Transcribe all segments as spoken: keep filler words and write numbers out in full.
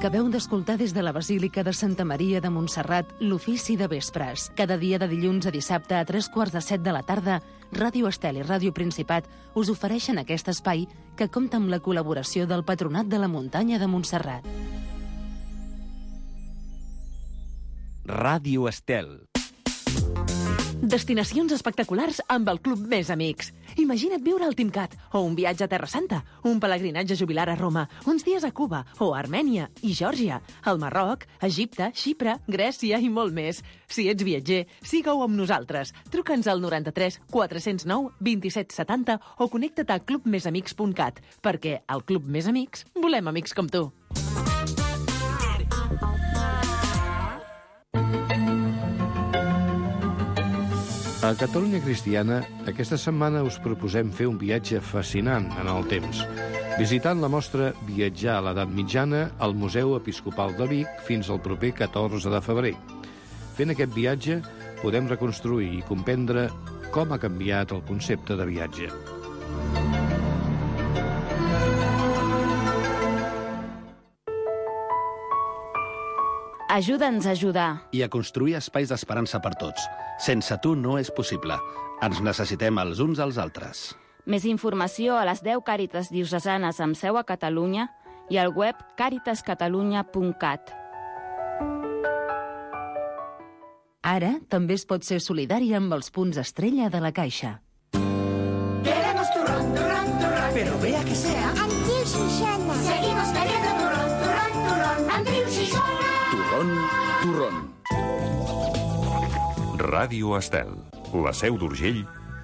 Acabeu d'escoltar des de la Basílica de Santa Maria de Montserrat l'Ofici de Vespres. Cada dia de dilluns a dissabte a tres quarts de set de la tarda, Ràdio Estel i Ràdio Principat us ofereixen aquest espai que compta amb la col·laboració del Patronat de la Muntanya de Montserrat. Ràdio Estel. Destinacions espectaculars amb el Club Més Amics. Imagina't viure al Timcat, o un viatge a Terra Santa, un pelegrinatge jubilar a Roma, uns dies a Cuba, o a Armènia i Geòrgia, al Marroc, Egipte, Xipre, Grècia i molt més. Si ets viatger, siga-ho amb nosaltres. Truca'ns al noranta-tres quatre-cents nou vint-i-set setanta o connecta't a club més amics punt cat, perquè al Club Més Amics volem amics com tu. A Catalunya Cristiana, aquesta setmana us proposem fer un viatge fascinant en el temps, visitant la mostra Viatjar a l'Edat Mitjana al Museu Episcopal de Vic fins al proper catorze de febrer. Fent aquest viatge, podem reconstruir i comprendre com ha canviat el concepte de viatge. Ajuda'ns a ajudar. I a construir espais d'esperança per tots. Sense tu no és possible. Ens necessitem els uns als altres. Més informació a les deu Càritas diocesanes amb seu a Catalunya i al web càritas catalunya punt cat. Ara també es pot ser solidari amb els punts estrella de la Caixa. Queremos turrón, turrón, turrón. Pero vea que sea Andreu Xixona. Seguimos queriendo turrón, turrón, turrón. Andreu Xixona. Turrón, turrón. Ràdio Estel, la Seu d'Urgell,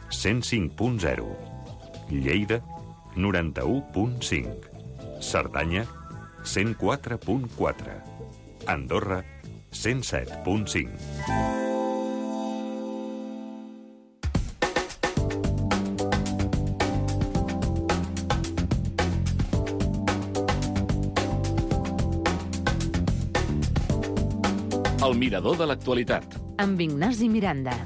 cent cinc punt zero. Lleida, noranta-u punt cinc. Cerdanya, cent quatre punt quatre. Andorra, cent set punt cinc. El mirador de l'actualitat. Amb Ignasi Miranda.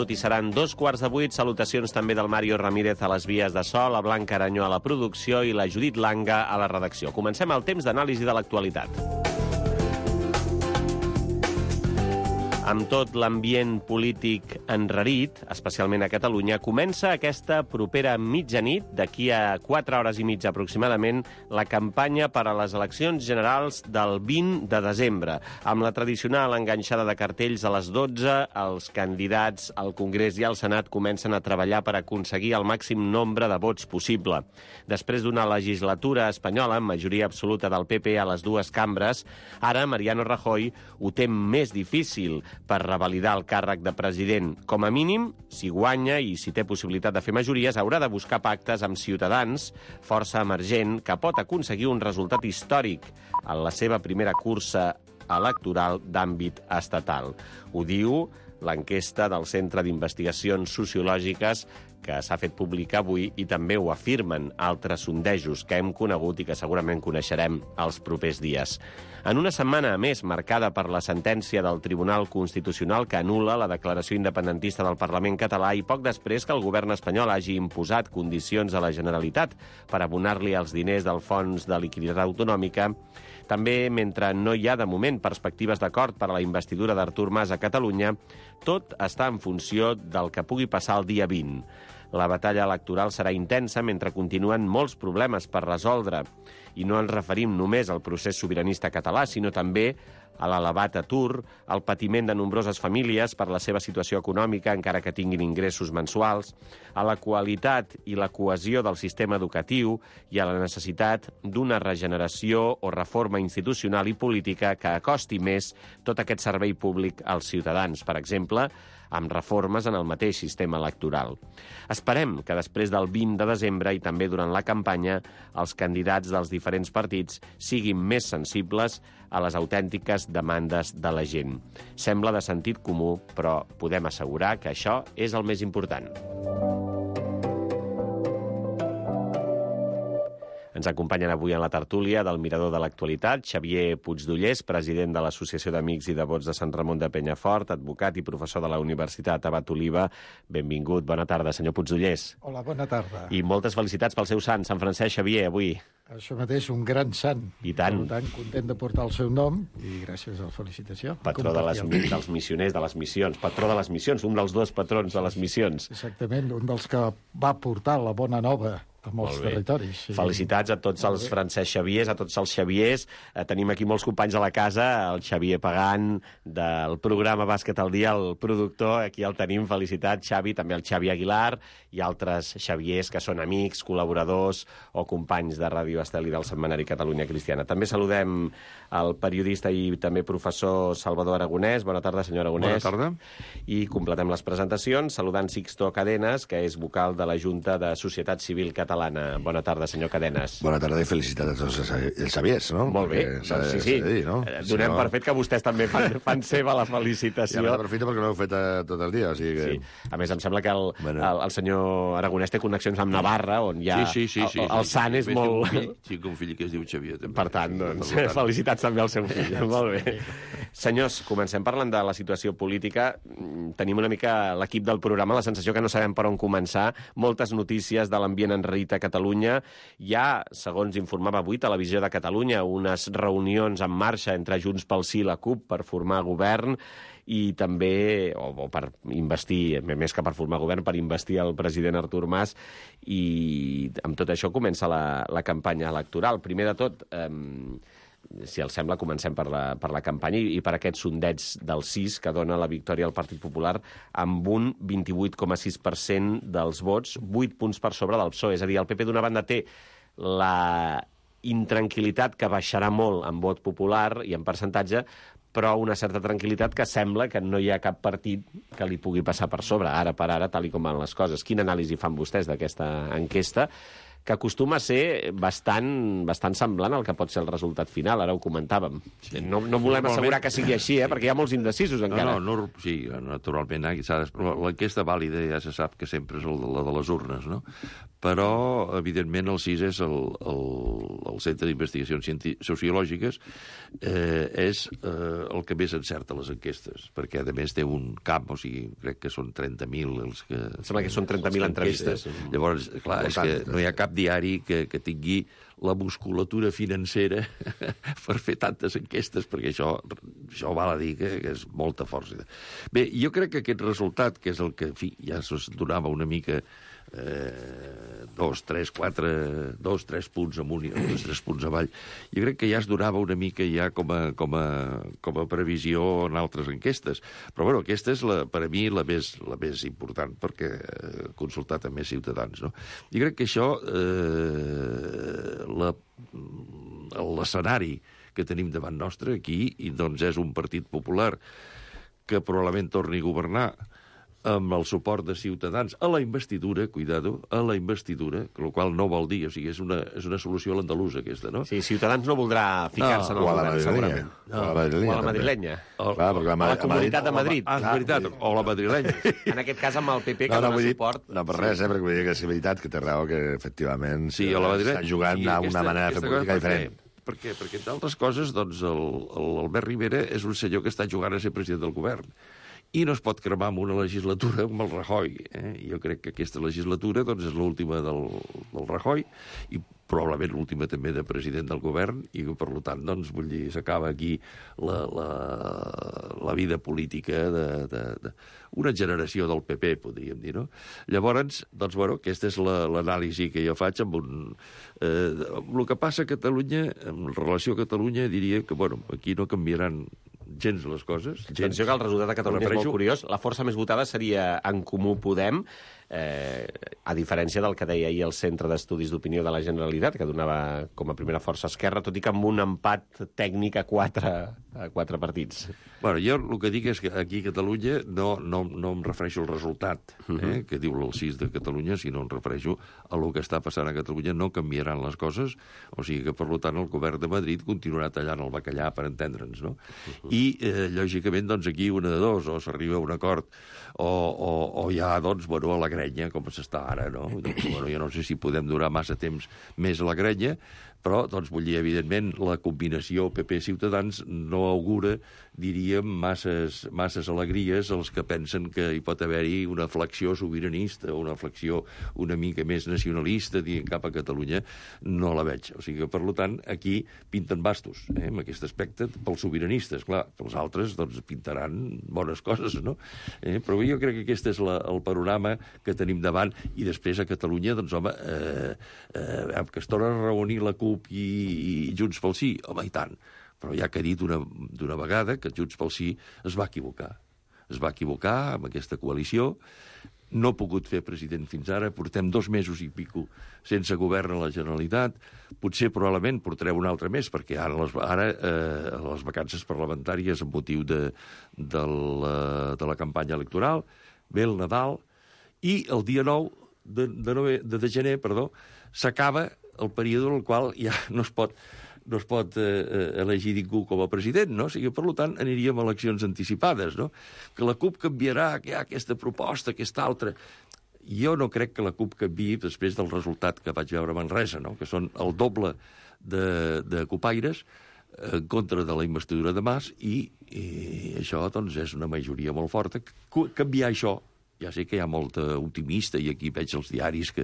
I seran dos quarts de vuit. Salutacions també del Mario Ramírez a les vies de so, la Blanca Aranyó a la producció i la Judit Langa a la redacció. Comencem el temps d'anàlisi de l'actualitat. Amb tot l'ambient polític enrarit, especialment a Catalunya, comença aquesta propera mitjanit, d'aquí a quatre hores i mitja aproximadament, la campanya per a les eleccions generals del vint de desembre. Amb la tradicional enganxada de cartells a les dotze, els candidats al Congrés i al Senat comencen a treballar per aconseguir el màxim nombre de vots possible. Després d'una legislatura espanyola amb majoria absoluta del P P a les dues cambres, ara Mariano Rajoy ho té més difícil per revalidar el càrrec de president. Com a mínim, si guanya i si té possibilitat de fer majories, haurà de buscar pactes amb Ciutadans, força emergent, que pot aconseguir un resultat històric en la seva primera cursa electoral d'àmbit estatal. Ho diu l'enquesta del Centre d'Investigacions Sociològiques que s'ha fet pública avui i també ho afirmen altres sondejos que hem conegut i que segurament coneixerem els propers dies. En una setmana, a més, marcada per la sentència del Tribunal Constitucional que anul·la la declaració independentista del Parlament català i poc després que el govern espanyol hagi imposat condicions a la Generalitat per abonar-li els diners del Fons de Liquiditat Autonòmica, també, mentre no hi ha de moment perspectives d'acord per a la investidura d'Artur Mas a Catalunya, tot està en funció del que pugui passar el dia vint. La batalla electoral serà intensa mentre continuen molts problemes per resoldre. I no ens referim només al procés sobiranista català, sinó també a l'elevat atur, al patiment de nombroses famílies per la seva situació econòmica, encara que tinguin ingressos mensuals, a la qualitat i la cohesió del sistema educatiu i a la necessitat d'una regeneració o reforma institucional i política que acosti més tot aquest servei públic als ciutadans, per exemple, amb reformes en el mateix sistema electoral. Es Esperem que després del vint de desembre i també durant la campanya els candidats dels diferents partits siguin més sensibles a les autèntiques demandes de la gent. Sembla de sentit comú, però podem assegurar que això és el més important. Ens acompanyen avui en la tertúlia del Mirador de l'Actualitat Xavier Puigdollers, president de l'Associació d'Amics i Devots de Sant Ramon de Penyafort, advocat i professor de la Universitat Abat Oliba. Benvingut, bona tarda, senyor Puigdollers. Hola, bona tarda. I moltes felicitats pel seu sant, Sant Francesc Xavier, avui. Això mateix, un gran sant. I tant. Per tant, content de portar el seu nom i gràcies a la felicitació. Patró de les, dels missioners, de les missions. Patró de les missions, un dels dos patrons de les missions. Exactament, un dels que va portar la bona nova a molts territoris. Sí. Felicitats a tots els Francesc Xaviers, a tots els Xaviers. Eh, tenim aquí molts companys a la casa, el Xavier Pagant, del programa Bàsquet al Dia, el productor, aquí el tenim, felicitats, Xavi, també el Xavi Aguilar i altres Xaviers que són amics, col·laboradors o companys de Ràdio Estel i del Setmanari Catalunya Cristiana. També saludem el periodista i també professor Salvador Aragonès. Bona tarda, senyor Aragonès. Bona tarda. I completem les presentacions saludant Sixto Cadenes, que és vocal de la Junta de Societat Civil Catalana. Bona tarda, senyor Cadenes. Bona tarda i felicitats a tots els Xaviers, no? Molt bé, de, sí, sí. Dir, no? Donem no... per fet que vostès també fan, fan seva la felicitació. Ja m'aprofito perquè no ho heu fet tot el dia, o sigui que... Sí. A més, em sembla que el, bueno. el, el senyor Aragonès té connexions amb Navarra, on hi ha... Sí, sí, sí. sí, el, el sí, sant sí, és sí, molt... Un fill, sí, un fill que es diu Xavier, també. Per tant, doncs, sí, felicitats també al seu fill. Molt bé. Senyors, comencem parlant de la situació política. Tenim una mica l'equip del programa, la sensació que no sabem per on començar. Moltes notícies de l'ambient enrarit a Catalunya. Hi ha, segons informava avui Televisió de Catalunya, unes reunions en marxa entre Junts pel Sí i la CUP per formar govern i també, o, o per investir, més que per formar govern, per investir el president Artur Mas, i amb tot això comença la, la campanya electoral. Primer de tot, eh, si els sembla, comencem per la, per la campanya i, i per aquest sondeig del sis que dona la victòria al Partit Popular amb un vint-i-vuit coma sis per cent dels vots, vuit punts per sobre del P S O E. És a dir, el P P d'una banda té la intranquil·litat que baixarà molt en vot popular i en percentatge, però una certa tranquil·litat que sembla que no hi ha cap partit que li pugui passar per sobre, ara per ara, tal i com van les coses. Quina anàlisi fan vostès d'aquesta enquesta, que acostuma a ser bastant, bastant semblant al que pot ser el resultat final, ara ho comentàvem. Sí. No, no volem assegurar que sigui així, eh, perquè hi ha molts indecisos encara. No, no, no sí, naturalment, l'enquesta vàlida ja se sap que sempre és la de les urnes, no? Però, evidentment, el sis és el, el, el Centre d'Investigacions Sociològiques, eh, és eh, el que més encerta les enquestes, perquè, a més, té un camp, o sigui, crec que són trenta mil els que... Sembla que són trenta mil entrevistes. Llavors, clar, és que no hi ha cap diari que, que tingui la musculatura financera per fer tantes enquestes, perquè això, això val a dir que, que és molta força. Bé, jo crec que aquest resultat, que és el que, en fi, ja es donava una mica eh, dos, tres, quatre, dos, tres punts amunt i dos, tres punts avall, jo crec que ja es donava una mica ja com a, com a, com a previsió en altres enquestes. Però, bueno, aquesta és, la, per a mi, la més, la més important, perquè he consultat amb més ciutadans, no? Jo crec que això... Eh, l'escenari que tenim davant nostre aquí, i doncs és un partit popular que probablement torni a governar amb el suport de Ciutadans a la investidura, cuidado, a la investidura, el qual no vol dir, o sigui, és una, és una solució a l'andalusa, aquesta, no? Sí, Ciutadans no voldrà ficar-se no, en el govern, segurament. No, o a la madrilenya. O a la madrilenya. O, clar, la, a la Comunitat de Madrid. Ah, és veritat, o la madrilenya. En aquest cas amb el P P, que no, no, dona dir, suport... No, per res, eh, perquè vull dir que és veritat que té raó que, efectivament, sí, o la madrilenya, està jugant sí, a una aquesta, manera de fer política diferent. Per què? Perquè, entre altres coses, doncs, el, el Albert Rivera és un senyor que està jugant a ser president del govern. I no es pot cremar amb una legislatura amb el Rajoy. Eh? Jo crec que aquesta legislatura doncs, és l'última del, del Rajoy i probablement l'última també de president del govern i, per tant, doncs, vull dir, s'acaba aquí la, la, la vida política de, de, de una generació del P P, podríem dir, no? Llavors, doncs, bueno, aquesta és l'anàlisi que jo faig amb un... Eh, amb el que passa a Catalunya, en relació a Catalunya, diria que, bueno, aquí no canviaran gens les coses. Gens. Atenció que el resultat de Catalunya és molt curiós. La força més votada seria En Comú Podem. eh, a diferència del que deia ahir el Centre d'Estudis d'Opinió de la Generalitat, que donava com a primera força Esquerra, tot i que amb un empat tècnic a quatre, a quatre partits. Bueno, jo el que dic és que aquí a Catalunya no, no, no em refereixo al resultat eh, uh-huh. que diu el sis de Catalunya, sinó em refereixo a el que està passant a Catalunya. No canviaran les coses, o sigui que, per tant, el govern de Madrid continuarà tallant el bacallà, per entendre'ns, no? Uh-huh. I, eh, lògicament, doncs, aquí una de dos, o s'arriba a un acord, o, o, o ja, doncs, bueno, a la grenya, com s'està ara, no? Doncs, bueno, jo no sé si podem durar massa temps més a la grenya, però, doncs, vull dir, evidentment, la combinació P P-Ciutadans no augura, diríem, masses, masses alegries als que pensen que hi pot haver-hi una flexió sobiranista o una flexió una mica més nacionalista dient cap a Catalunya, no la veig. O sigui que, per tant, aquí pinten bastos, eh, en aquest aspecte, pels sobiranistes. Clar, els altres, doncs, pintaran bones coses, no? Eh, però jo crec que aquest és la, el panorama que tenim davant, i després a Catalunya, doncs, home, eh, eh, que es torna a reunir la CUP i, i Junts pel Sí, home, i tant. Però ja que ha dit d'una vegada que Junts pel Sí es va equivocar. Es va equivocar amb aquesta coalició, no ha pogut fer president fins ara, portem dos mesos i pico sense govern a la Generalitat, potser probablement portarem un altre mes, perquè ara les, ara, eh, les vacances parlamentàries amb motiu de, de, la, de la campanya electoral, ve el Nadal, i el dia nou de, de, nove, de, de gener perdó, s'acaba el període en el qual ja no es pot no es pot eh, elegir ningú com a president, no? O sigui, per tant, aniríem a eleccions anticipades, no? Que la CUP canviarà, que hi ha aquesta proposta, aquesta altra. Jo no crec que la CUP canviï després del resultat que vaig veure a Manresa, no? Que són el doble de, de copaires en contra de la investidura de Mas, i, i això, doncs, és una majoria molt forta. Canviar això, ja sé que hi ha molta optimista, i aquí veig els diaris que,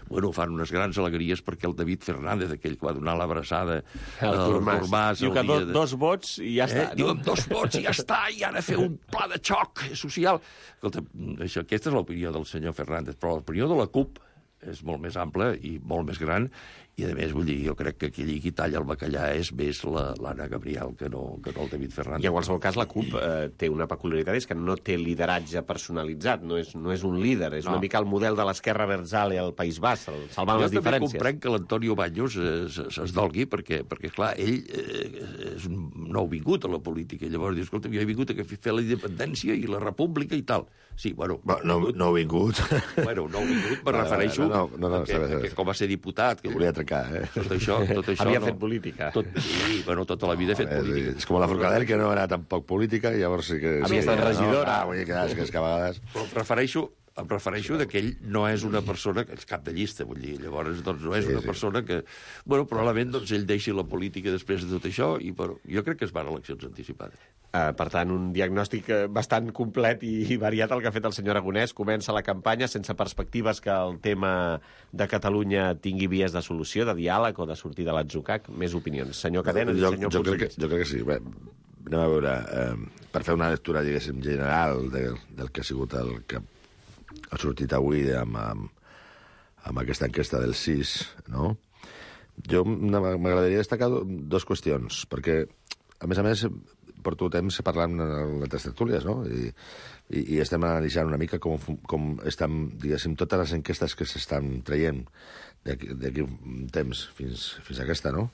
bueno, fan unes grans alegries perquè el David Fernández, aquell que va donar l'abraçada al Artur Mas... Diu que do, de... dos vots i ja està. Eh? Diu, amb dos vots i ja està, i han de fer un pla de xoc social. Escolta, això, aquesta és l'opinió del senyor Fernández, però l'opinió de la CUP és molt més ampla i molt més gran, i, a més, vull dir, jo crec que aquell qui talla el bacallà és més l'Anna Gabriel que no, que no el David Fernández. I, en qualsevol cas, la CUP eh, té una peculiaritat, és que no té lideratge personalitzat, no és, no és un líder, és no. una mica el model de l'esquerra Berzale al País Basc, salvant jo les diferències. Jo també comprenc que l'Antonio Baños es, es dolgui, perquè, perquè clar, ell eh, és un nouvingut a la política, i llavors diu, escolta, jo he vingut a fer la independència i la república i tal. Sí, bueno... No, nouvingut. Bueno, nouvingut, me refereixo, no, no, no, no, que, que, que com va ser diputat... Que volia trencar, eh? Tot això, tot això havia no, fet política. Tot, sí, bueno, tota la vida he fet no, política. És com la Forcadell, que no era tampoc política, i llavors sí que... Havia estat regidora. No, vull dir que, és que, és que a vegades... Però em refereixo, em refereixo sí, que ell no és una persona que és cap de llista, vull dir, llavors doncs, no és sí, una sí. persona que... Bueno, probablement doncs, ell deixi la política després de tot això, i però, jo crec que es van a eleccions anticipades. Uh, per tant, un diagnòstic bastant complet i variat el que ha fet el senyor Aragonès. Comença la campanya sense perspectives que el tema de Catalunya tingui vies de solució, de diàleg o de sortir de l'atzucac. Més opinions. Senyor Cadena i senyor jo, jo, crec que, jo crec que sí. Bé, anem a veure, eh, per fer una lectura, diguéssim, general de, del que ha sigut el que ha sortit avui amb, amb, amb aquesta enquesta del sis, no? Jo m'agradaria destacar dues qüestions, perquè, a més a més, porto temps parlant en altres tertúlies, no? I, i, i estem analitzant una mica com, com estan, diguéssim, totes les enquestes que s'estan traient d'aquí un temps fins, fins a aquesta, no?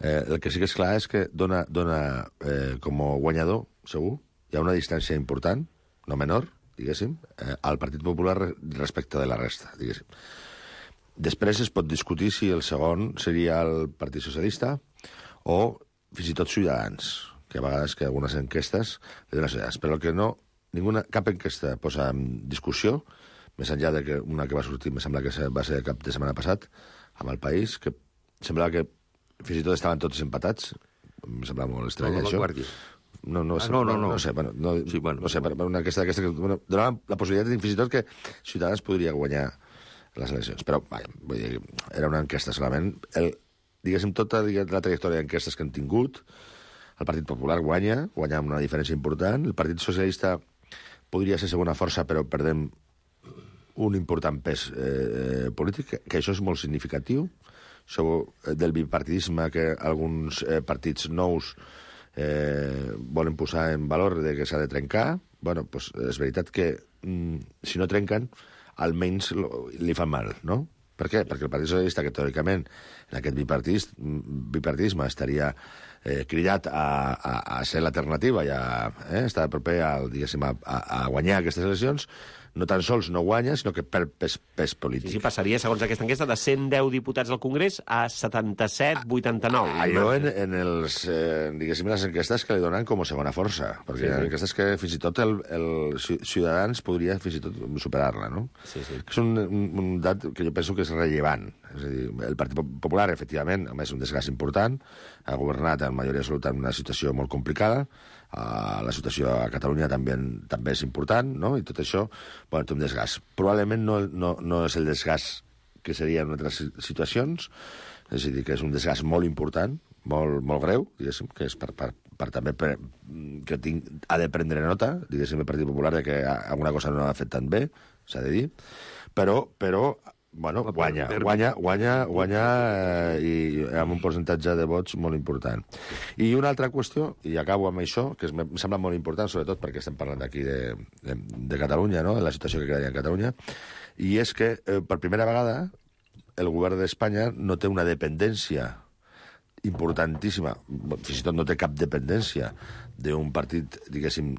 Eh, el que sí que és clar és que dona, dona eh, com a guanyador, segur, hi ha una distància important, no menor, diguéssim, eh, al Partit Popular respecte de la resta, diguéssim. Després es pot discutir si el segon seria el Partit Socialista o fins i tot Ciutadans, que a vegades que algunes enquestes li donen idees, però el que no, ninguna, cap enquesta posa en discussió, més enllà de que una que va sortir, em sembla que va ser cap de setmana passat, amb El País, que semblava que fins i tot estaven tots empatats, em sembla molt estrany, no, això. No, no, ah, no, no, no. no sé, bueno, no, sí, bueno, no sé, per una enquesta d'aquesta que bueno, donava la possibilitat fins i tot que Ciutadans podria guanyar les eleccions, però vaja, vull dir, era una enquesta solament. El, diguéssim, tota diguéssim, la trajectòria d'enquestes que han tingut, el Partit Popular guanya, guanya amb una diferència important. El Partit Socialista podria ser segona força, però perdem un important pes eh, polític, que això és molt significatiu. Això del bipartidisme que alguns eh, partits nous eh, volen posar en valor de que s'ha de trencar. Bueno, pues, és veritat que mm, si no trenquen, almenys li fa mal, no? Per què? Perquè el Partit Socialista, que teòricament en aquest bipartidisme estaria eh, cridat a, a, a ser l'alternativa i a eh, estar proper a, diguéssim, a, a guanyar aquestes eleccions, no tan sols no guanya, sinó que per pes, pes polític. Sí, sí, passaria, segons aquesta enquesta, de cent deu diputats al Congrés a setanta-set vuitanta-nou. Allò en, en els, eh, diguéssim, les enquestes que li donen com a segona força, perquè sí, sí. enquestes que fins i tot el, el Ciutadans podria fins i tot superar-la, no? Sí, sí. És un, un, un dat que jo penso que és rellevant. És a dir, el Partit Popular, efectivament, a més un desgast important, ha governat en majoria absoluta en una situació molt complicada, Uh, la situació a Catalunya també, també és important, no? I tot això, bueno, té un desgast. Probablement no, no, no és el desgast que seria en altres situacions, és a dir, que és un desgast molt important, molt, molt greu, diguéssim, que és per, per, per també per, que tinc, ha de prendre nota, diguéssim, el Partit Popular, de que alguna cosa no ha fet tan bé, s'ha de dir, però, però bueno, guanya, guanya, guanya, guanya eh, i amb un percentatge de vots molt important. I una altra qüestió, i acabo amb això, que es, em sembla molt important, sobretot perquè estem parlant d'aquí de, de, de Catalunya, no?, de la situació que queda en Catalunya, i és que eh, per primera vegada el govern d'Espanya no té una dependència importantíssima, fins i tot no té cap dependència d'un partit, diguéssim,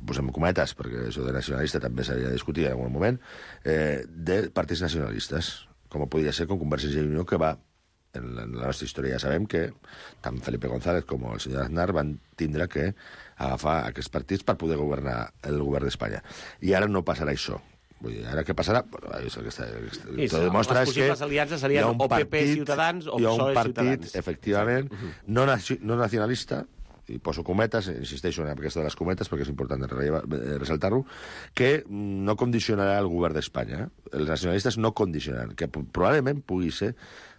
posem cometes, perquè això de nacionalista també s'havia de discutir en algun moment, eh, de partits nacionalistes, com podria ser com Convergència i Unió, que va, en la, en la nostra història ja sabem que tant Felipe González com el senyor Aznar van tindre que agafar aquests partits per poder governar el govern d'Espanya. I ara no passarà això. Vull dir, ara què passarà? Bueno, és el que està, sí, tot demostra és que les aliances serien o P P Ciutadans o P S O E Ciutadans. Hi ha un partit, efectivament, no, no nacionalista, i poso cometes, insisteixo en aquesta de les cometes perquè és important ressaltar-ho, que no condicionarà el govern d'Espanya. Els nacionalistes no condicionaran, que probablement pugui ser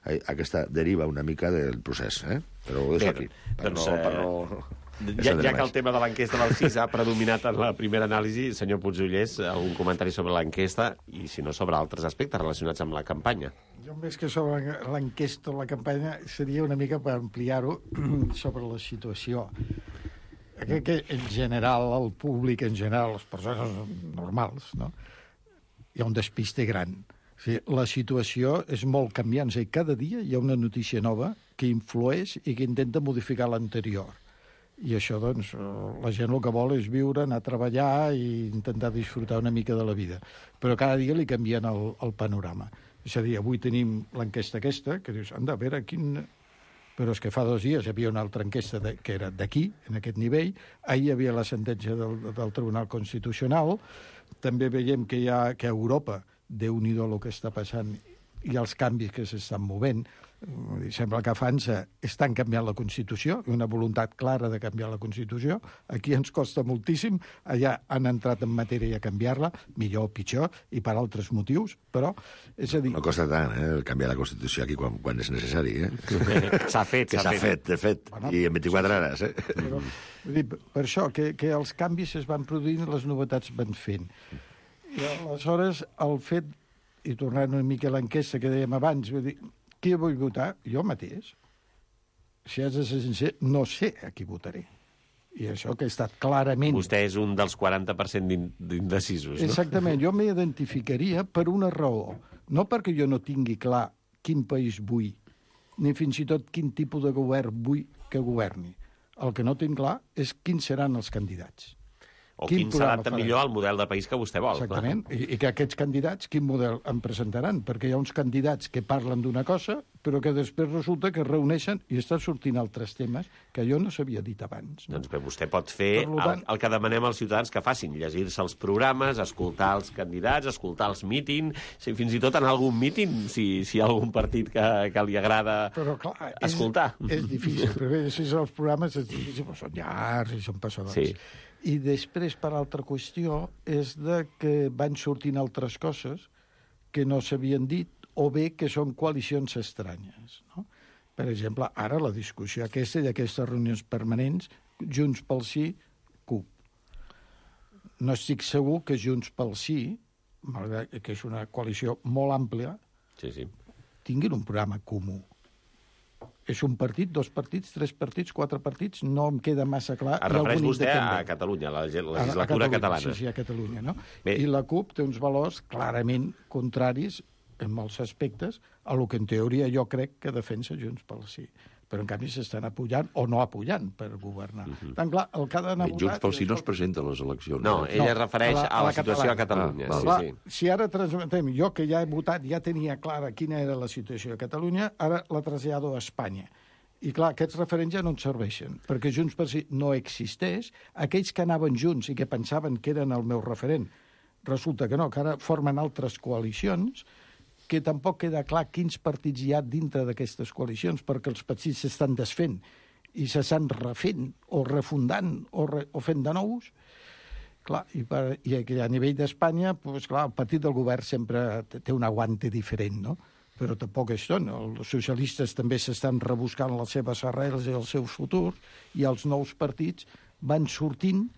aquesta deriva una mica del procés, eh? Però ho deixo aquí. Per doncs, no, per no... Ja, ja que el tema de l'enquesta del sis ha predominat en la primera anàlisi, senyor Puigdollers, algun comentari sobre l'enquesta i, si no, sobre altres aspectes relacionats amb la campanya? Jo, més que sobre l'enquesta o la campanya, seria una mica per ampliar-ho sobre la situació. Crec que, en general, el públic, en general, les persones normals, no?, hi ha un despiste gran. O sigui, la situació és molt canviant. O sigui, cada dia hi ha una notícia nova que influeix i que intenta modificar l'anterior. I això, doncs, la gent el que vol és viure, anar a treballar i intentar disfrutar una mica de la vida. Però cada dia li canvien el, el panorama. És a dir, avui tenim l'enquesta aquesta, que dius, anda, a veure, quin... Però és que fa dos dies hi havia una altra enquesta de, que era d'aquí, en aquest nivell. Ahir hi havia la sentència del, del Tribunal Constitucional. També veiem que hi ha que a Europa, Déu-n'hi-do el que està passant i els canvis que s'estan movent. Sembla que a França estan canviant la Constitució, una voluntat clara de canviar la Constitució. Aquí ens costa moltíssim, allà han entrat en matèria a canviar-la, millor o pitjor, i per altres motius, però... És a dir... No costa tant, eh, canviar la Constitució aquí quan, quan és necessari, eh? S'ha fet, s'ha fet. fet, de fet, bueno, i en vint-i-quatre hores, eh? Però, dir, per això, que, que els canvis es van produint i les novetats van fent. I aleshores, el fet, i tornant una mica a l'enquesta que dèiem abans, vull dir, qui vull votar? Jo mateix. Si has de ser sincer, no sé a qui votaré. I això que he estat clarament... Vostè és un dels quaranta per cent d'indecisos, no? Exactament. Jo m'identificaria per una raó. No perquè jo no tingui clar quin país vull, ni fins i tot quin tipus de govern vull que governi. El que no tinc clar és quins seran els candidats. O quin, quin s'adapta millor al model de país que vostè vol. Exactament, I, i que aquests candidats, quin model em presentaran? Perquè hi ha uns candidats que parlen d'una cosa, però que després resulta que es reuneixen i estan sortint altres temes que jo no s'havia dit abans. No? Doncs bé, vostè pot fer tant... el, el que demanem als ciutadans que facin, llegir-se els programes, escoltar els candidats, escoltar els mítings, si, fins i tot en algun míting, si, si hi ha algun partit que, que li agrada però, clar, escoltar. És, és difícil, però bé, si els programes és difícil, però són llargs i són passadors. Sí. I després, per altra qüestió, és de que van sortint altres coses que no s'havien dit o bé que són coalicions estranyes. No? Per exemple, ara la discussió aquesta i aquestes reunions permanents, Junts pel Sí, C U P. No estic segur que Junts pel Sí, malgrat que és una coalició molt àmplia, sí, sí. tinguin un programa comú. és un partit, dos partits, tres partits, quatre partits, no em queda massa clar. Es refereix vostè a Catalunya, a la legislatura a Catalunya, catalana. Sí, sí, a Catalunya, no? Bé. I la CUP té uns valors clarament contraris, en molts aspectes, a lo que en teoria jo crec que defensa Junts pel Sí. Però en canvi s'estan apujant o no apujant per governar. Uh -huh. Tan clar, el que ha d'anar votat... Junts pel Sí no es presenta a les eleccions. No, ell no, es refereix a la, a la situació a Catalunya. Ah, sí, clar, sí. Si ara transmetem, jo que ja he votat, ja tenia clara quina era la situació a Catalunya, ara la trasllado a Espanya. I clar, aquests referents ja no ens serveixen, perquè Junts per Sí no existeix. Aquells que anaven junts i que pensaven que eren el meu referent, resulta que no, que ara formen altres coalicions, que tampoc queda clar quins partits hi ha dintre d'aquestes coalicions, perquè els partits s'estan desfent i s'estan refent o refundant o, re, o fent de nous. Clar, i, per, i a nivell d'Espanya, pues, clar, el partit del govern sempre té un aguante diferent, no? Però tampoc és tot. Els socialistes també s'estan rebuscant les seves arrels i els seus futurs, i els nous partits van sortint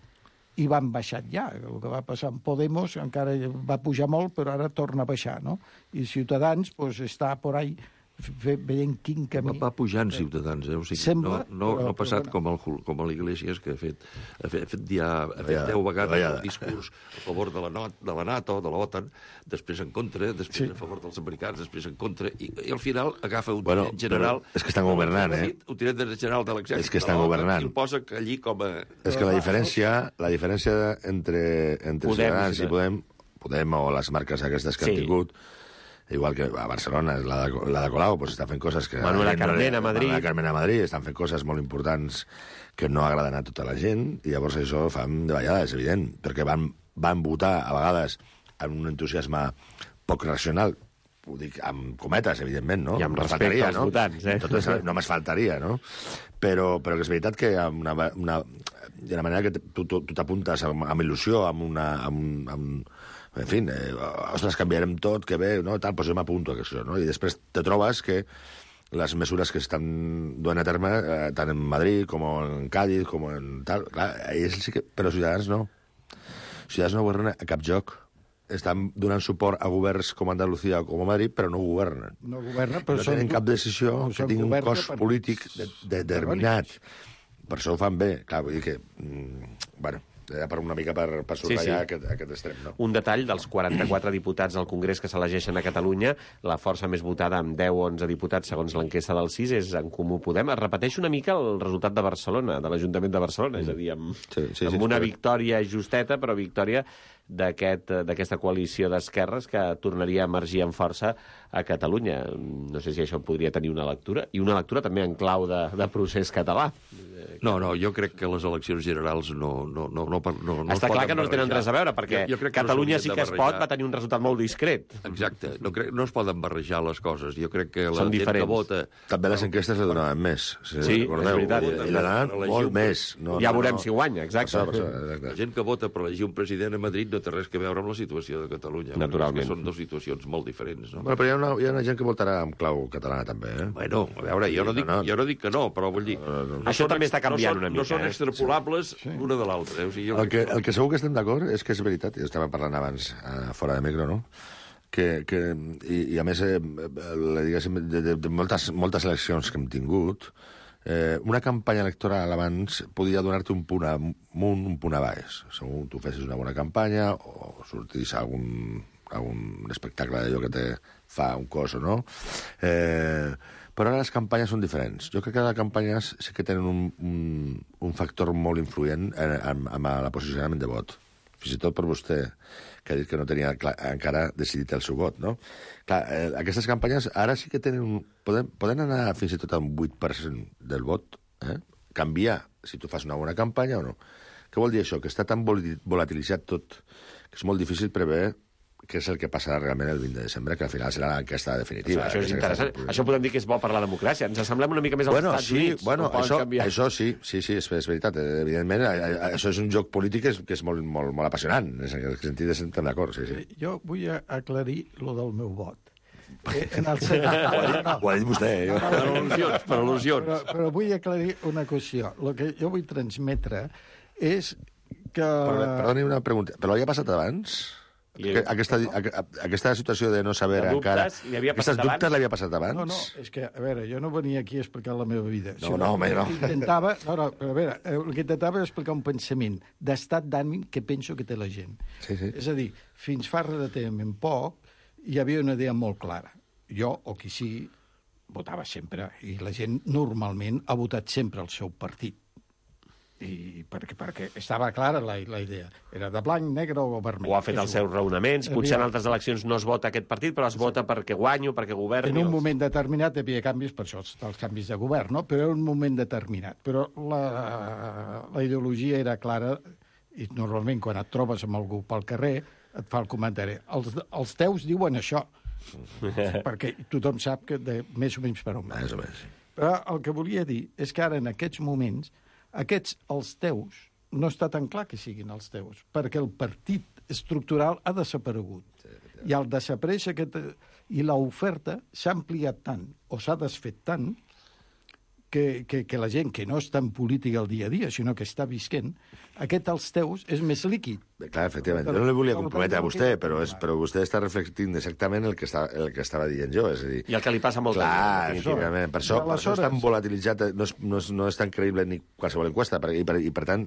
i van baixar ja. El que va passar amb Podemos encara va pujar molt, però ara torna a baixar, no? I Ciutadans pues, està por ahí veient quin camí... Va pujant Ciutadans, eh? O sigui, Sembla, no, no, però, no ha passat però, com, el, com a l'Iglesias, que ha fet, ha fet, ha fet, ja, ha fet deu vegades el discurs a favor de la, de la NATO, de l'OTAN, després en contra, després sí. a favor dels americans, després en contra, i, i al final agafa un bueno, tinent general... És que estan governant, eh? Un tinent general de l'exèrcit és que estan governant. I el posa allí com a... És que la diferència, la diferència entre, entre Podem, Ciutadans sí. i Podem, Podem o les marques aquestes que sí. han tingut, igual que a Barcelona, la de, la de Colau, pues està fent coses que... Manuela Carmena a Madrid. Manuela Carmena a Madrid, estan fent coses molt importants que no agraden a tota la gent, i llavors això fan de vegades, és evident, perquè van, van votar a vegades amb un entusiasme poc racional, ho dic amb cometes, evidentment, no? I amb no respecte als no? votants, eh? Tot això només faltaria, no? Però, però que és veritat que amb una, una, de la manera que tu, tu, tu t'apuntes amb, amb il·lusió, amb una... Amb, amb, en fi, eh, ostres, canviarem tot, que bé, no, tal, doncs jo m'apunto a això, no? I després te trobes que les mesures que estan duent a terme, eh, tant en Madrid com en Cádiz, com en tal, clar, ells sí que... Però Ciutadans no. Ciutadans no governen a cap joc. Estan donant suport a governs com Andalucía o com a Madrid, però no governen. No governen, però no tenen cap decisió no que tingui un cos polític de, de, determinat. Per això ho fan bé. Clar, vull dir que... Mm, bueno... per una mica per, per subratllar sí, sí. Aquest, aquest extrem. No? Un detall, dels quaranta-quatre diputats del Congrés que s'elegeixen a Catalunya, la força més votada amb deu o onze diputats, segons l'enquesta del C I S, és En Comú Podem. Es repeteix una mica el resultat de Barcelona, de l'Ajuntament de Barcelona, mm. és a dir, amb, sí, sí, amb sí, una sí. victòria justeta, però victòria d'aquesta aquest, coalició d'esquerres que tornaria a emergir amb força a Catalunya. No sé si això podria tenir una lectura, i una lectura també en clau de, de procés català. No, no, jo crec que les eleccions generals no... no, no, no, no, no Està clar que no tenen res a veure, perquè jo, jo Catalunya no sí que es pot va tenir un resultat molt discret. Exacte, no, crec, no es poden barrejar les coses. Jo crec que la Són gent diferents. que vota... També les enquestes le donaven més. Si sí, recordeu, és veritat. I, i donaven molt més. No, ja no, veurem no. si guanya, exacte. Per això, exacte. La gent que vota per elegir un president a Madrid no té res que veure amb la situació de Catalunya. Naturalment. Són dues situacions molt diferents. No? Bueno, però hi ha, una, hi ha una gent que votarà amb clau catalana, també, eh? Bueno, a veure, jo no dic, no, no. jo no dic que no, però vull dir... No, no, no. Això també està canviant no són, una mica. No són eh? extrapolables sí. l'una de l'altra. Eh? O sigui, jo el, que, el que segur que estem d'acord és que és veritat, i estàvem parlant abans eh, fora de micro, no? Que, que, i, i a més, eh, diguéssim, de, de, de moltes, moltes eleccions que hem tingut, eh, una campanya electoral abans podia donar-te un punt amunt, un punt a baix. Segur tu fessis una bona campanya o sortís a algun, algun espectacle d'allò que te fa un cos o no. Eh, però ara les campanyes són diferents. Jo crec que les campanyes sí que tenen un, un, un factor molt influent en, en, en el posicionament de vot. Fins i tot per vostè, que ha dit que no tenia clar, encara decidit el seu vot, no? Clar, eh, aquestes campanyes ara sí que tenen un, poden, poden anar fins i tot a un vuit per cent del vot, eh? Canviar si tu fas una bona campanya o no. Què vol dir això? Que està tan volatilitzat tot que és molt difícil prever què és el que passarà realment el vint de desembre, que al final serà l'enquesta definitiva. Això és interessant. Això podem dir que és bo per la democràcia. Ens assemblem una mica més als bueno, Estats sí, Units. Bueno, això, això sí, sí, sí, és, és veritat. Evidentment, això és un joc polític que és, que és molt, molt, molt apassionant. En aquest sentit estem d'acord, sí, sí. Jo vull aclarir lo del meu vot. Eh, en el sentit... ho, ha dit, ho ha dit vostè. Jo. Per al·lusions, per al·lusions. Però, però vull aclarir una qüestió. El que jo vull transmetre és que... Perdoni una pregunta. Però ja ha passat abans? Aquesta, aquesta situació de no saber de encara... Aquestes dubtes l'havia passat abans? No, no, és que, a veure, jo no venia aquí a explicar la meva vida. No, no, home, no. Intentava, no, no, però a veure, el que intentava era explicar un pensament d'estat d'ànim que penso que té la gent. Sí, sí. És a dir, fins fa relativament poc hi havia una idea molt clara. Jo, o qui sí, votava sempre, i la gent normalment ha votat sempre el seu partit. I perquè, perquè estava clara la, la idea. Era de blanc, negre o vermell. O ha fet els seus raonaments. Potser en altres eleccions no es vota aquest partit, però es vota perquè guanyo, perquè governi. En un moment determinat hi havia canvis, per això els canvis de govern, no? Però era un moment determinat. Però la, la ideologia era clara i normalment quan et trobes amb algú pel carrer et fa el comentari. Els, els teus diuen això, perquè tothom sap que de, més o menys per on va. Més o menys. Però el que volia dir és que ara en aquests moments aquests, els teus, no està tan clar que siguin els teus, perquè el partit estructural ha desaparegut. Sí, sí. I al desaparèixer aquest... I l'oferta s'ha ampliat tant, o s'ha desfet tant, que, que, que la gent que no està en política el dia a dia, sinó que està visquent, aquest els teus és més líquid. Clar, efectivament. Jo no li volia comprometre a vostè, però, és, però vostè està reflectint exactament el que, està, el que estava dient jo. És a dir, I el que li passa a molta clar, gent. Clar, per això, per això és tan volatilitzat, no és, no, és, no és tan creïble ni qualsevol enquesta, per, i, per, i per tant,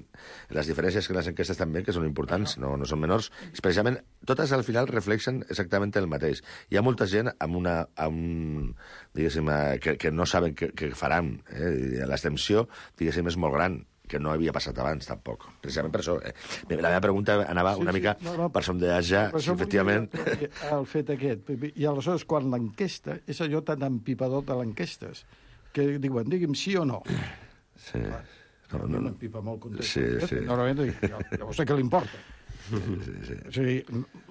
les diferències que les enquestes també, que són importants, no, no són menors, precisament, totes al final reflexen exactament el mateix. Hi ha molta gent amb una... Amb, diguéssim, que, que no saben què, què faran. Eh? L'extensió, diguéssim, és molt gran, que no havia passat abans, tampoc. Precisament per això. Eh? La meva pregunta anava sí, una mica sí, no, no, per sondejar si efectivament... El fet aquest. I aleshores, quan l'enquesta, és allò tan empipador de l'enquestes, que diuen, digui'm sí o no. Sí. No, no, no. M'empipa molt content. Sí, sí. Normalment dic, llavors sé què li importa. Sí, sí. O sigui,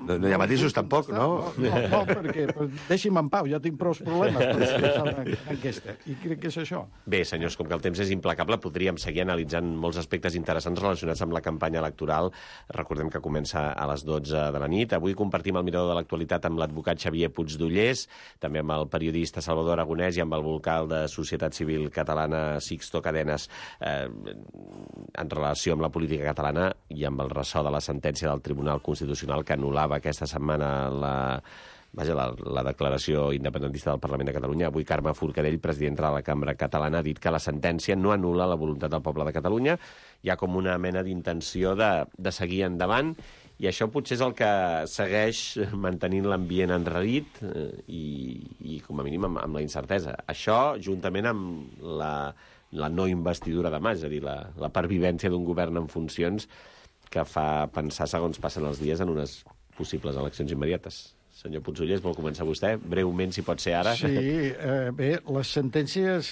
no, no hi ha matisos tampoc, no? No, no, no perquè deixi'm en pau, ja tinc prou problemes per fer una enquesta. I crec que és això. Bé, senyors, com que el temps és implacable, podríem seguir analitzant molts aspectes interessants relacionats amb la campanya electoral. Recordem que comença a les dotze de la nit. Avui compartim el mirador de l'actualitat amb l'advocat Xavier Puigdollers, també amb el periodista Salvador Aragonès i amb el vocal de Societat Civil Catalana Sixto Cadenas, eh, en relació amb la política catalana i amb el ressò de la sentència del Tribunal Constitucional que anul·lava aquesta setmana la, vaja, la, la declaració independentista del Parlament de Catalunya. Avui Carme Forcadell, presidenta de la Cambra Catalana, ha dit que la sentència no anul·la la voluntat del poble de Catalunya. Hi ha com una mena d'intenció de, de seguir endavant i això potser és el que segueix mantenint l'ambient enrarit eh, i, i com a mínim amb, amb la incertesa. Això, juntament amb la, la no investidura de mà, és a dir, la, la pervivència d'un govern en funcions que fa pensar, segons passen els dies, en unes possibles eleccions immediates. Senyor Puigdollers, vol començar vostè? Breument, si pot ser ara. Sí, eh, bé, les sentències...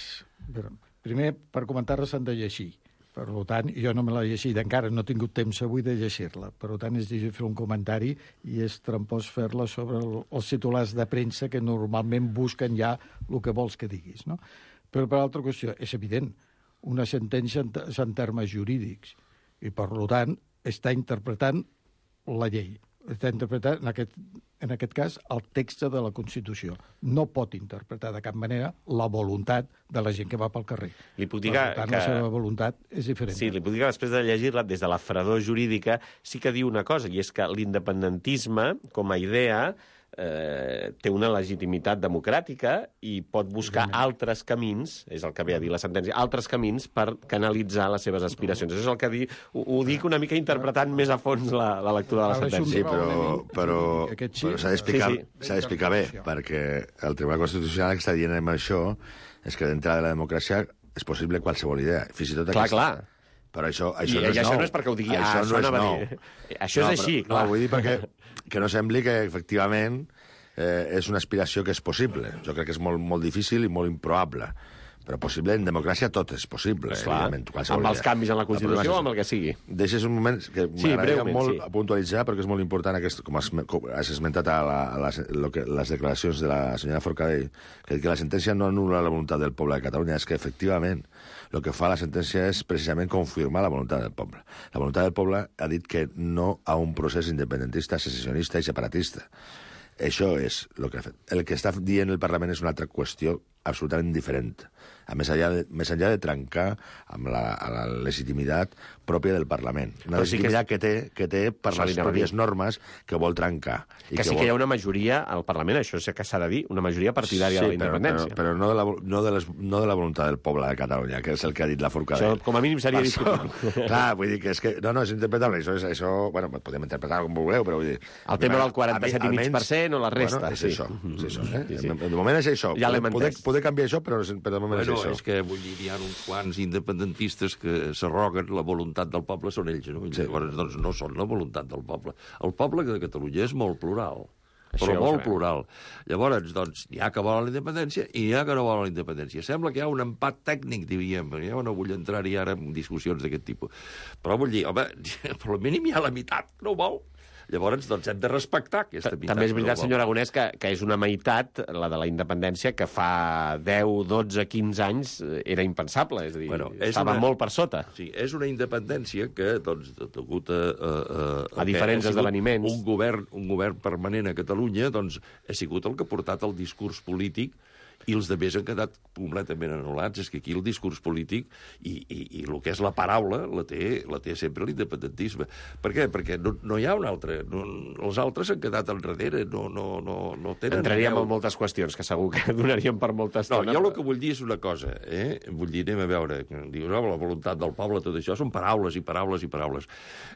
Primer, per comentar-les s'han de llegir. Per tant, jo no me l'he llegit encara, no he tingut temps avui de llegir-la. Per tant, és difícil fer un comentari i és trampós fer-la sobre el, els titulars de premsa que normalment busquen ja el que vols que diguis, no? Però per altra qüestió, és evident, una sentència és en termes jurídics i, per tant, està interpretant la llei. Està interpretant, en aquest, en aquest cas, el text de la Constitució. No pot interpretar de cap manera la voluntat de la gent que va pel carrer. Li puc dir que... Per tant, que... la seva voluntat és diferent. Sí, li puc dir que després de llegir-la, des de la fredor jurídica, sí que diu una cosa, i és que l'independentisme, com a idea, eh, té una legitimitat democràtica i pot buscar altres camins, és el que ve a dir la sentència, altres camins per canalitzar les seves aspiracions. Això és el que di, ho, ho dic una mica interpretant més a fons la, la lectura de la sentència. Sí, però, però, però s'ha d'explicar sí, sí. s'ha d'explicar bé, perquè el Tribunal Constitucional que està dient amb això és que d'entrada de la democràcia és possible qualsevol idea, fins i tot clar, clar. Però això, això, I, no, és això nou. no és perquè ho digui, això ah, no és nou. Això és no, així, però, clar. No, vull dir perquè que no sembli que, efectivament, eh, és una aspiració que és possible. Jo crec que és molt, molt difícil i molt improbable. Però possible, en democràcia tot és possible. Clar, amb els canvis en la Constitució o amb el que sigui. Deixes un moment que sí, m'agradaria molt sí. puntualitzar, perquè és molt important, aquest, com has, com has esmentat a, la, a les, lo que, les declaracions de la senyora Forcadell, que, que la sentència no anul·la la voluntat del poble de Catalunya, és que, efectivament, el que fa la sentència és precisament confirmar la voluntat del poble. La voluntat del poble ha dit que no a un procés independentista, secessionista i separatista. Això és el que ha fet. El que està dient el Parlament és una altra qüestió absolutament diferent. A més enllà de, més enllà de trencar amb la, la legitimitat pròpia del Parlament. Una legitimitat que té, que té per les pròpies normes que vol trencar. I que, que sí vol... que hi ha una majoria al Parlament, això és que s'ha de dir, una majoria partidària sí, de la independència. Però, però, però no, de la, no, de les, no de la voluntat del poble de Catalunya, que és el que ha dit la Forcadell. Això, com a mínim, seria discutible. Clar, vull dir que és que... No, no, és interpretable. Això, és, això bueno, podem interpretar com vulgueu, però vull dir... El tema del quaranta-set coma cinc per cent o la resta. Bueno, és sí. això, és això. Eh? Sí, sí. De moment és això. Ja poder, poder canviar això, però, però de moment bueno, és això. És que, vull dir, hi ha uns quants independentistes que s'arroguen la voluntat del poble, són ells, no? Sí. Llavors, doncs, no són la voluntat del poble. El poble de Catalunya és molt plural, però això molt plural. Llavors, doncs, hi ha que volen la independència i hi ha que no volen la independència. Sembla que hi ha un empat tècnic, diríem, jo no vull entrar-hi ara en discussions d'aquest tipus. Però vull dir, home, per al mínim hi ha la meitat, no ho vol. Llavors, doncs, hem de respectar aquesta meitat. També és veritat, senyor Aragonès, que, que és una meitat, la de la independència, que fa deu, dotze, quinze anys era impensable, és a dir, bueno, és estava una... molt per sota. Sí, és una independència que, doncs, degut a... A, a, a diferents esdeveniments. Un govern, un govern permanent a Catalunya, doncs, ha sigut el que ha portat el discurs polític i els altres han quedat completament anul·lats. És que aquí el discurs polític i, i, i el que és la paraula la té, la té sempre l'independentisme. Per què? Perquè no, no hi ha un altre. No, els altres han quedat enrere, no, no, no, no tenen... Entraríem en moltes qüestions, que segur que donaríem per molta estona. No, jo el que vull dir és una cosa, eh? Vull dir, anem a veure, diu, no, la voluntat del poble, tot això, són paraules i paraules i paraules.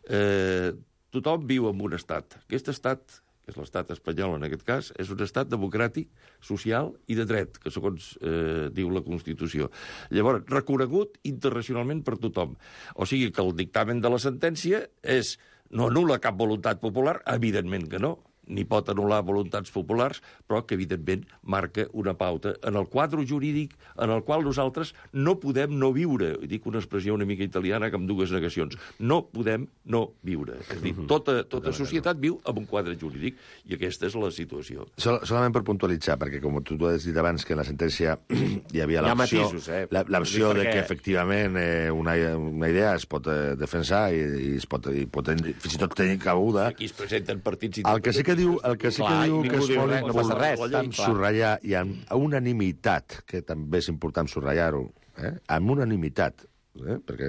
Eh, tothom viu en un estat. Aquest estat... és l'estat espanyol en aquest cas, és un estat democràtic, social i de dret, que segons eh, diu la Constitució. Llavors, reconegut internacionalment per tothom. O sigui que el dictamen de la sentència és no anul·la cap voluntat popular, evidentment que no, ni pot anul·lar voluntats populars, però que, evidentment, marca una pauta en el quadre jurídic en el qual nosaltres no podem no viure. Dic una expressió una mica italiana amb dues negacions. No podem no viure. És a dir, tota, tota societat viu amb un quadre jurídic, i aquesta és la situació. Sol, solament per puntualitzar, perquè com tu has dit abans que en la sentència hi havia l'opció eh? l'opció de que, efectivament, eh, una, una idea es pot eh, defensar i, i es pot, i pot fins i tot tenir cabuda. Aquí es presenten partits... El que sí que diu, el que sí que clar, diu que és molt no passa res, important subratllar, i amb unanimitat, que també és important subratllar-ho, eh? amb unanimitat, eh? perquè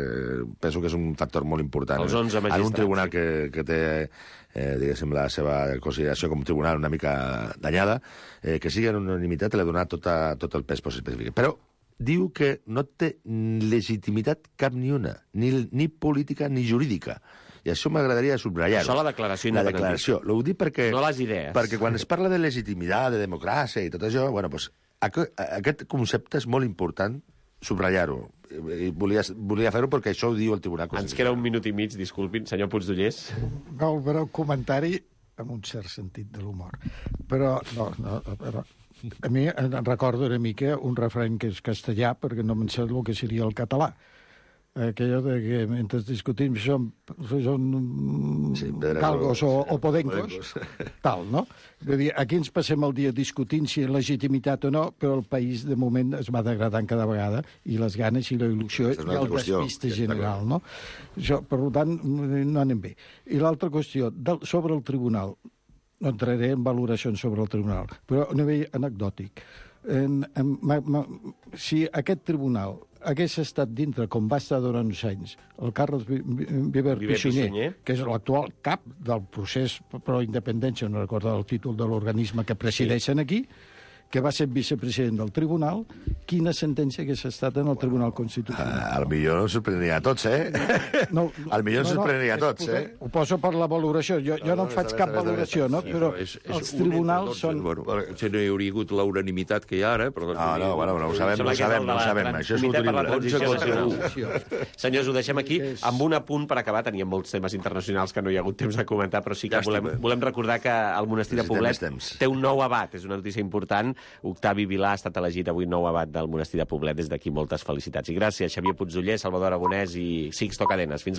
penso que és un factor molt important. Els onze magistrats. En un tribunal que, que té, eh, diguéssim, la seva consideració com un tribunal una mica danyada, eh, que sigui en unanimitat i li ha donat tota, tot el pes específic. Però diu que no té legitimitat cap ni una, ni, ni política ni jurídica. I això m'agradaria subratllar-ho. Això la declaració independentista. La declaració. Ho dic perquè... No les idees. Perquè quan es parla de legitimitat, de democràcia i tot això, bueno, pues, aquest concepte és molt important subratllar-ho. Volia, volia fer-ho perquè això ho diu el Tribunal Constitucional. Ens queda un minut i mig, disculpin, senyor Puigdollers. No, però un comentari amb un cert sentit de l'humor. Però, no, no, però... A mi em recordo una mica un refrany que és castellà, perquè no me'n sé el que seria el català. Aquello de que mentre discutim són, són sí, galgos o, o podencos, tal, no? Vull dir, aquí ens passem el dia discutint si és legitimitat o no, però el país, de moment, es va degradant cada vegada, i les ganes i la il·lusió i el despiste general, no? Això, per tant, no anem bé. I l'altra qüestió, del, sobre el tribunal, no entraré en valoracions sobre el tribunal, però a nivell anecdòtic. En, en, ma, ma, si aquest tribunal hagués estat dintre, com va estar durant uns anys, el Carles Viver Pisunyer, que és l'actual cap del procés pro independència, no recordo el títol de l'organisme que presideixen aquí, que va ser vicepresident del tribunal, quina sentència hagués estat en el Tribunal Constitucional? Uh, al millor ens sorprendria a tots, eh? No, no, al millor ens no, no, sorprendria a tots, eh? Ho poso per la valoració. Jo no, jo no en faig cap valoració, no? Però és, és els tribunals són... Bueno, si no hi hauria hagut la unanimitat que hi ha ara... Però no, no, bueno, no ho sabem, no ho sabem, no ho sabem. Això és un Senyors, ho deixem aquí. Amb un apunt per acabar, teníem molts temes internacionals que no hi ha hagut temps de comentar, però sí que volem, volem recordar que el monestir de Poblet té un nou abat, és una notícia important. Octavi Vilà ha estat elegit avui nou abat del monestir de Poblet. Des d'aquí moltes felicitats. I gràcies, Xavier Puigdoller, Salvador Aragonès i Sixto Cadenes. Fins la